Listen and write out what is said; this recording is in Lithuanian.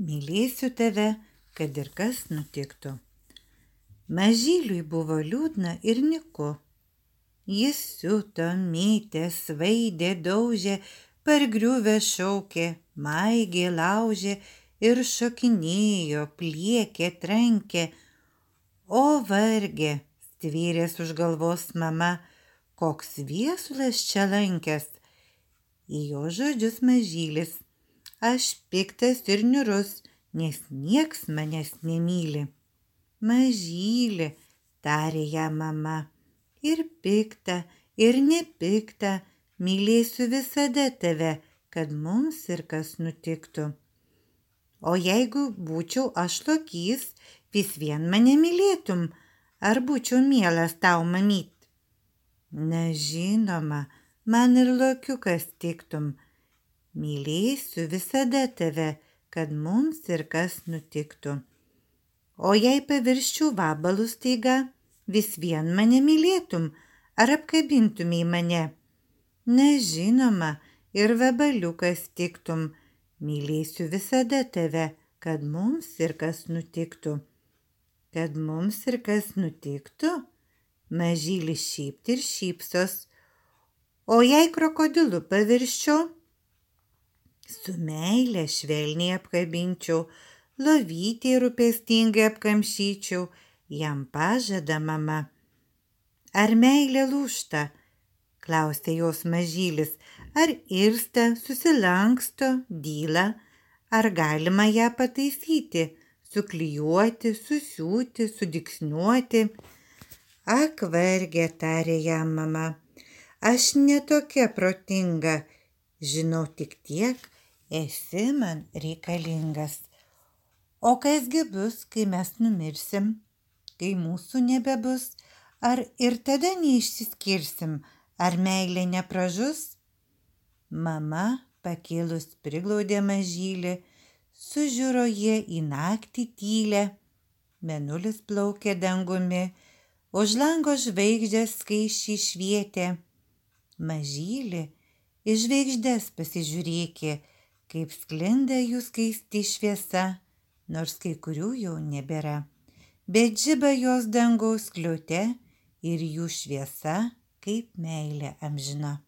Mylėsiu tave, kad ir kas nutiktų. Mažyliui buvo liūdna ir nyku. Jis siuto, mėtė, svaidė, daužė, pargriuvę šaukė, maigė, laužė ir šokinėjo, pliekė, trankė. O vargė, stvėrės už galvos mama, koks viesulas čia lankęs. Į jo žodžius mažylis: aš piktas ir niūrus, nes nieks manęs nemyli. Mažyli, tarė ją mama, ir pikta, ir nepikta, mylėsiu visada tave, kad mums ir kas nutiktų. O jeigu būčiau aš lokys, vis vien mane mylėtum, ar būčiau mielas tau, mamyt? Na žinoma, man ir lokiukas tiktum. Mylėsiu visada tave, kad mums ir kas nutiktų. O jei pavirščiau vabalų staiga, vis vien mane mylėtum, ar apkabintumei mane? Na žinoma, ir vabaliukas tiktum. Mylėsiu visada tave, kad mums ir kas nutiktų. Kad mums ir kas nutiktų? Mažylis šypt ir šypsos. O jei krokodilu pavirščiau? Su meile švelniai apkabinčiau, lovytei rūpestingai apkamšyčiau, jam pažada mama. Ar meilė lūžta? Klausė jos mažylis. Ar irsta, susilanksto, dyla? Ar galima ją pataisyti, suklijuoti, susiūti, sudygsniuoti? Ak, varge, tarė jam mama, aš ne tokia protinga, žinau tik tiek, esi man reikalingas. O kasgi bus, kai mes numirsim, kai mūsų nebebus, ar ir tada neišsiskirsim, ar meilė nepražus? Mama pakėlus priglaudė mažylį, sužiuro jie į naktį tylę. Mėnulis plaukė dangumi, už lango žvaigždės skaisčiai švietė. Mažylį į žvaigždes pasižiūrėkė, kaip sklinda jų skaisti šviesa, nors kai kurių jau nebėra. Bet žiba jos dangaus skliaute ir jų šviesa kaip meilė amžina.